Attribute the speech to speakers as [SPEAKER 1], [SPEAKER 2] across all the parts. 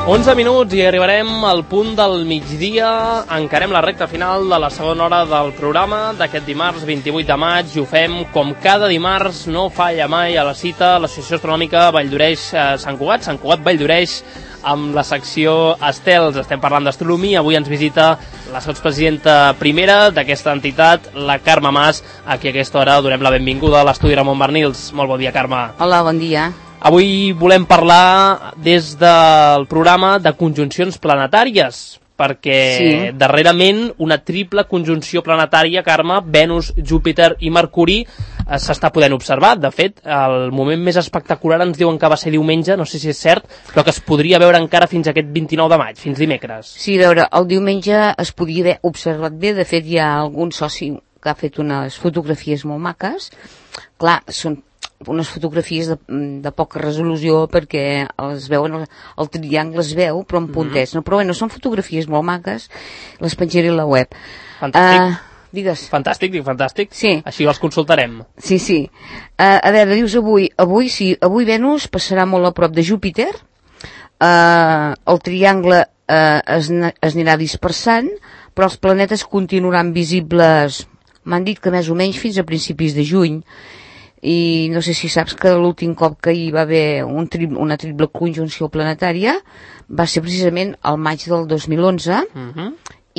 [SPEAKER 1] 11 minuts i arribarem al punt del migdia. Encarem la recta final de la segona hora del programa d'aquest dimarts 28 de maig i ho fem com cada dimarts, no falla mai a la cita, l'Associació Astronòmica Valldoreix Sant Cugat, Sant Cugat Valldoreix, amb la secció Estels. Estem parlant d'astronomia. Avui ens visita la sotspresidenta primera d'aquesta entitat, la Carme Mas, a qui a aquesta hora donem la benvinguda a l'estudi Ramon Barnils. Molt bon dia, Carme.
[SPEAKER 2] Hola, bon dia.
[SPEAKER 1] Avui volem parlar des del programa de conjuncions planetàries, perquè darrerament una triple conjunció planetària, Carme, Venus, Júpiter i Mercuri, s'està podent observar. De fet, el moment més espectacular ens diuen que va ser diumenge, no sé si és cert, però que es podria veure encara fins aquest 29 de maig, fins dimecres.
[SPEAKER 2] Sí, a veure, el diumenge es podia haver observat bé. De fet, hi ha algun soci que ha fet unes fotografies molt maques. Clar, són unes fotografies de poca resolució perquè es veuen, el triangle es veu però en puntets, no? Però bueno, són fotografies molt maques, les penjaré a la web.
[SPEAKER 1] Fantàstic.
[SPEAKER 2] Digues.
[SPEAKER 1] Fantàstic, dic fantàstic.
[SPEAKER 2] Sí.
[SPEAKER 1] Així els consultarem.
[SPEAKER 2] Sí, sí. A veure, dius avui avui Venus passarà molt a prop de Júpiter, el triangle es anirà dispersant, però els planetes continuaran visibles, m'han dit que més o menys fins a principis de juny. I no sé si saps que l'últim cop que hi va haver una triple conjunció planetària va ser precisament al maig del 2011,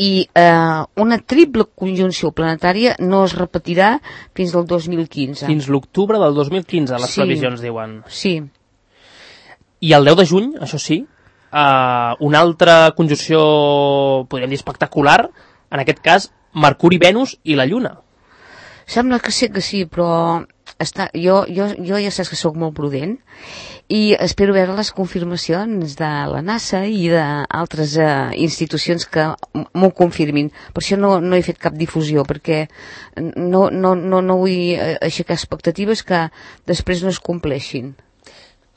[SPEAKER 2] i una triple conjunció planetària no es repetirà fins al 2015.
[SPEAKER 1] Fins l'octubre del 2015, les previsions diuen.
[SPEAKER 2] Sí.
[SPEAKER 1] I el 10 de juny, això sí, una altra conjunció, podríem dir, espectacular, en aquest cas, Mercuri-Venus i la Lluna.
[SPEAKER 2] Sembla que sí, però jo ja saps que sóc molt prudent i espero veure les confirmacions de la NASA i d'altres institucions que m'ho confirmin. Per això no he fet cap difusió, perquè no vull aixecar expectatives que després no es compleixin.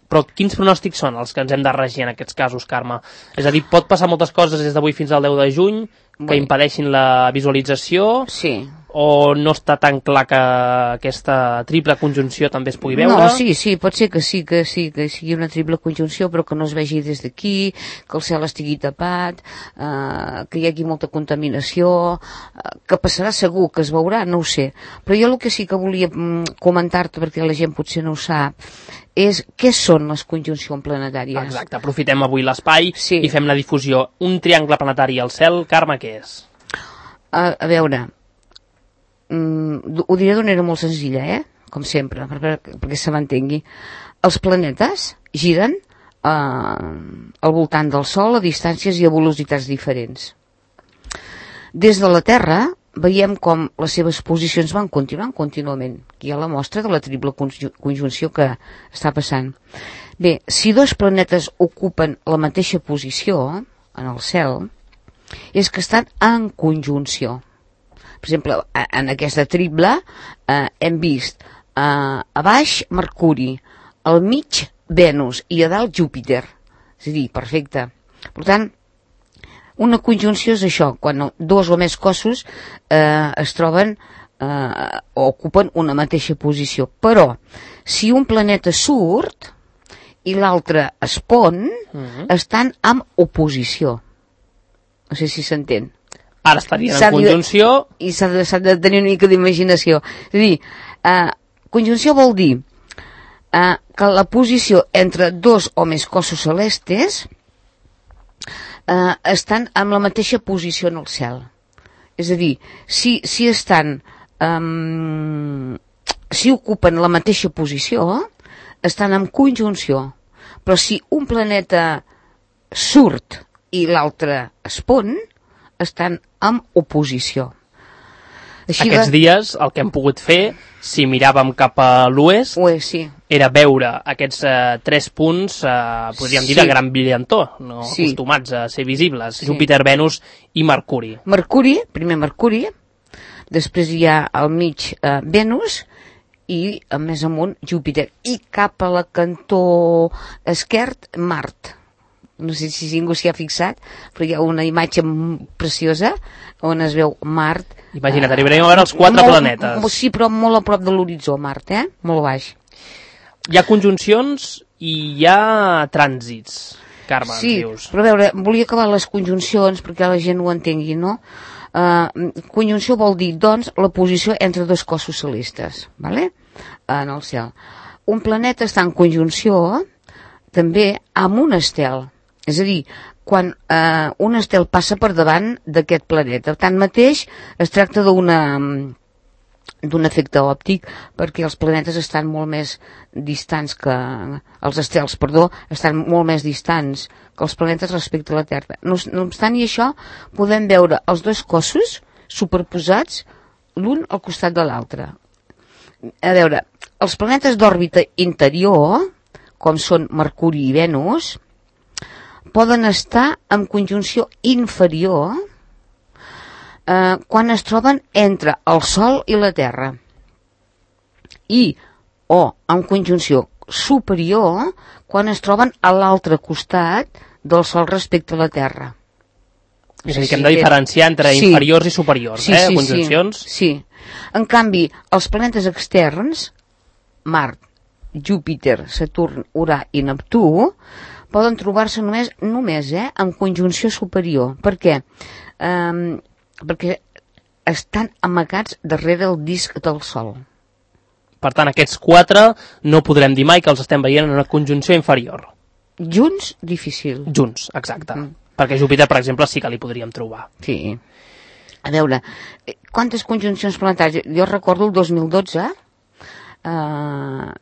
[SPEAKER 1] Però quins pronòstics són els que ens hem de regir en aquests casos, Carme? És a dir, pot passar moltes coses des d'avui fins al 10 de juny que impedeixin la visualització?
[SPEAKER 2] Sí.
[SPEAKER 1] O no està tan clar que aquesta triple conjunció també es pugui veure?
[SPEAKER 2] No, sí, pot ser que sigui una triple conjunció, però que no es vegi des d'aquí, que el cel estigui tapat, que hi hagi molta contaminació, que passarà segur, que es veurà, no ho sé. Però jo el que sí que volia comentar-te, perquè la gent potser no ho sap, és què són les conjuncions planetàries.
[SPEAKER 1] Exacte, aprofitem avui l'espai i fem la difusió. Un triangle planetari al cel, Carme, què és?
[SPEAKER 2] A veure, ho diré d'una manera molt senzilla, com sempre, perquè se m'entengui. Els planetes giren al voltant del Sol a distàncies i a velocitats diferents. Des de la Terra veiem com les seves posicions van continuant contínuament. Aquí hi ha la mostra de la triple conjunció que està passant. Bé, si dos planetes ocupen la mateixa posició en el cel, és que estan en conjunció. Per exemple, en aquesta triple hem vist a baix Mercuri, al mig Venus i a dalt Júpiter. És a dir, perfecte. Per tant, una conjunció és això, quan dos o més cossos es troben o ocupen una mateixa posició. Però, si un planeta surt i l'altre es pon, estan en oposició. No sé si s'entén.
[SPEAKER 1] Ara estarien en conjunció.
[SPEAKER 2] I s'ha de tenir una mica d'imaginació. És a dir, conjunció vol dir que la posició entre dos o més cossos celestes estan en la mateixa posició en el cel. És a dir, si ocupen la mateixa posició, estan en conjunció. Però si un planeta surt i l'altre es pon, estan en oposició.
[SPEAKER 1] Aquests dies el que hem pogut fer, si miràvem cap a l'oest, era veure aquests 3 punts, podríem dir, de gran brillantor, no acostumats a ser visibles, Júpiter, Venus i Mercuri.
[SPEAKER 2] Primer Mercuri, després hi ha al mig Venus i més amunt Júpiter, i cap a la cantó esquerd Mart. No sé si ningú s'hi ha fixat, però hi ha una imatge preciosa on es veu Mart.
[SPEAKER 1] Imagina't, arribarem a veure els 4 planetes.
[SPEAKER 2] Sí, però molt a prop de l'horitzó, Mart, molt baix.
[SPEAKER 1] Hi ha conjuncions i hi ha trànsits. Carme,
[SPEAKER 2] sí,
[SPEAKER 1] ens dius.
[SPEAKER 2] Però a veure, volia acabar les conjuncions perquè la gent ho entengui, no? Conjunció vol dir, doncs, la posició entre dos cossos celestes, vale? En el cel. Un planeta està en conjunció també amb un estel. És a dir, quan un estel passa per davant d'aquest planeta. Tanmateix, es tracta d'un efecte òptic perquè els planetes estan molt més distants que... Els estels, estan molt més distants que els planetes respecte a la Terra. No obstant i això, podem veure els dos cossos superposats l'un al costat de l'altre. A veure, els planetes d'òrbita interior, com són Mercuri i Venus, poden estar en conjunció inferior quan es troben entre el Sol i la Terra, o en conjunció superior quan es troben a l'altre costat del Sol respecte a la Terra.
[SPEAKER 1] És a dir, que hem de diferenciar entre inferiors i superiors, conjuncions.
[SPEAKER 2] Sí. En canvi, els planetes externs, Mart, Júpiter, Saturn, Urà i Neptú, poden trobar-se només en conjunció superior. Per què? Perquè estan amagats darrere el disc del Sol.
[SPEAKER 1] Per tant, aquests 4 no podrem dir mai que els estem veient en una conjunció inferior.
[SPEAKER 2] Junts, difícil.
[SPEAKER 1] Junts, exacte. Perquè Júpiter, per exemple, sí que li podríem trobar.
[SPEAKER 2] Sí. A veure, quantes conjuncions planetàries? Jo recordo el 2012,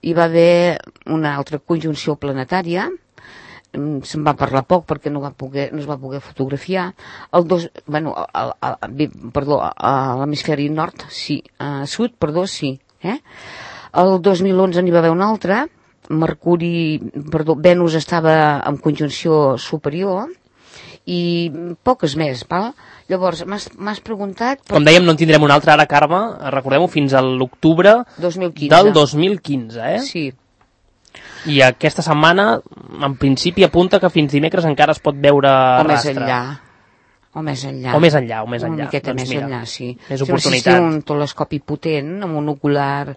[SPEAKER 2] hi va haver una altra conjunció planetària, se'n va parlar poc perquè no es va poder fotografiar. A l'hemisferi nord, sí, sud, sí. El 2011 n'hi va haver una altra, Venus estava en conjunció superior, i poques més, val? Llavors, m'has preguntat...
[SPEAKER 1] Com dèiem, no en tindrem una altra ara, Carme, recordem-ho, fins a l'octubre del 2015,
[SPEAKER 2] Sí.
[SPEAKER 1] I aquesta setmana, en principi, apunta que fins dimecres encara es pot veure rastre.
[SPEAKER 2] O més enllà.
[SPEAKER 1] Una
[SPEAKER 2] miqueta més enllà, sí.
[SPEAKER 1] Més oportunitat.
[SPEAKER 2] Si un telescopi potent, amb un ocular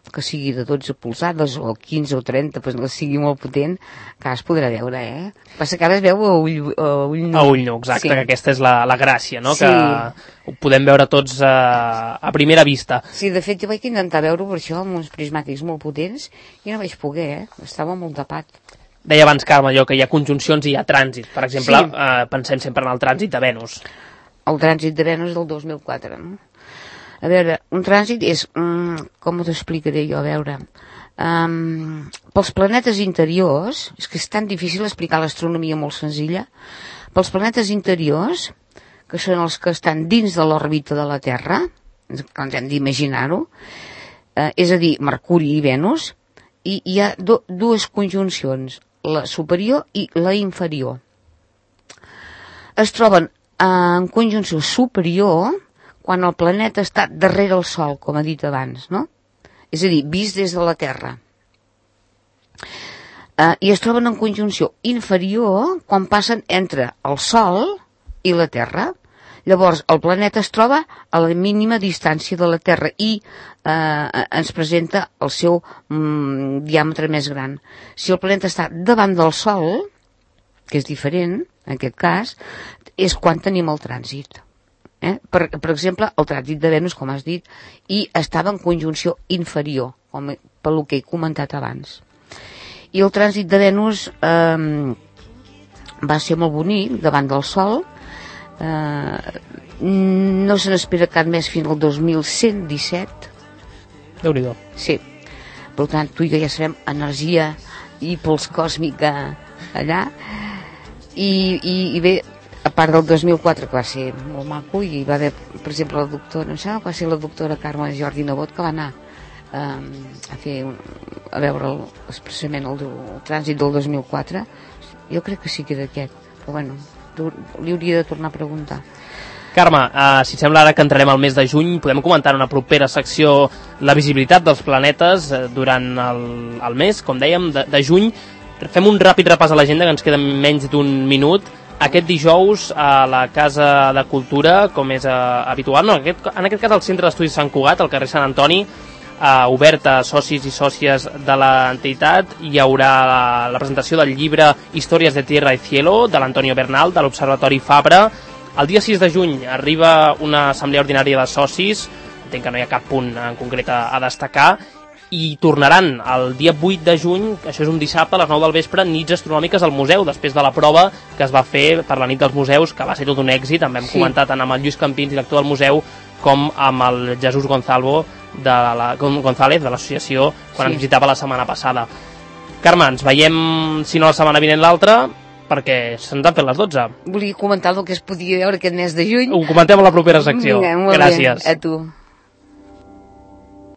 [SPEAKER 2] que sigui de 12 polzades, o 15 o 30, que sigui molt potent, que es podrà veure, Passa que ara es veu a ull nu.
[SPEAKER 1] A ull nu, exacte, que aquesta és la gràcia, no? Sí. Que ho podem veure tots a primera vista.
[SPEAKER 2] Sí, de fet, jo vaig intentar veure-ho per això, amb uns prismàtics molt potents, i no vaig poder, Estava molt tapat.
[SPEAKER 1] Deia abans, Carme, allò que hi ha conjuncions i hi ha trànsit. Per exemple, pensem sempre en el trànsit de Venus.
[SPEAKER 2] El trànsit de Venus del 2004, no? A veure, un trànsit és... com t'ho explicaré jo? A veure... pels planetes interiors... És que és tan difícil explicar l'astronomia molt senzilla. Pels planetes interiors, que són els que estan dins de l'òrbita de la Terra, que ens hem d'imaginar-ho, és a dir, Mercuri i Venus, i hi ha dues conjuncions, la superior i la inferior. Es troben en conjunció superior quan el planeta està darrere el Sol, com he dit abans, no? És a dir, vist des de la Terra. I es troben en conjunció inferior quan passen entre el Sol i la Terra. Llavors, el planeta es troba a la mínima distància de la Terra i ens presenta el seu diàmetre més gran. Si el planeta està davant del Sol, que és diferent, en aquest cas, és quan tenim el trànsit. Per exemple, el trànsit de Venus, com has dit, i estava en conjunció inferior, pel que he comentat abans. I el trànsit de Venus va ser molt bonic, davant del Sol. No se n'espera cap més fins al 2117.
[SPEAKER 1] Déu-n'hi-do.
[SPEAKER 2] Sí. Per tant, tu i jo ja sabem energia i pols còsmica allà. I bé, a part del 2004, que va ser molt maco, i va haver, per exemple, la doctora, no sé, va ser la doctora Carme Jordi Nebot, que va anar a veure expressament el trànsit del 2004. Jo crec que sí que era aquest, però bueno, li hauria de tornar a preguntar.
[SPEAKER 1] Carme, si et sembla ara que entrarem al mes de juny, podem comentar en una propera secció la visibilitat dels planetes durant el mes, com dèiem, de juny. Fem un ràpid repàs a l'agenda, que ens queda menys d'un minut. Aquest dijous a la Casa de Cultura, com és habitual, no, en aquest cas al Centre d'Estudis Sant Cugat, al carrer Sant Antoni, oberta a socis i sòcies de l'entitat. Hi haurà la presentació del llibre Històries de Tierra y Cielo, de l'Antonio Bernal, de l'Observatori Fabra. El dia 6 de juny arriba una assemblea ordinària de socis, entenc que no hi ha cap punt en concret a destacar, i tornaran el dia 8 de juny, això és un dissabte, a les 9 del vespre, nits astronòmiques al museu, després de la prova que es va fer per la nit dels museus, que va ser tot un èxit. En vam comentar tant amb el Lluís Campins, director del museu, com amb el Jesús González de l'associació, quan ens visitava la setmana passada. Carme, ens veiem, si no la setmana vinent l'altra, perquè se'ns han fet les 12.
[SPEAKER 2] Volia comentar el que es podia veure aquest mes de juny.
[SPEAKER 1] Ho comentem a la propera secció.
[SPEAKER 2] Vinga, molt
[SPEAKER 1] gràcies.
[SPEAKER 2] Bé. A tu.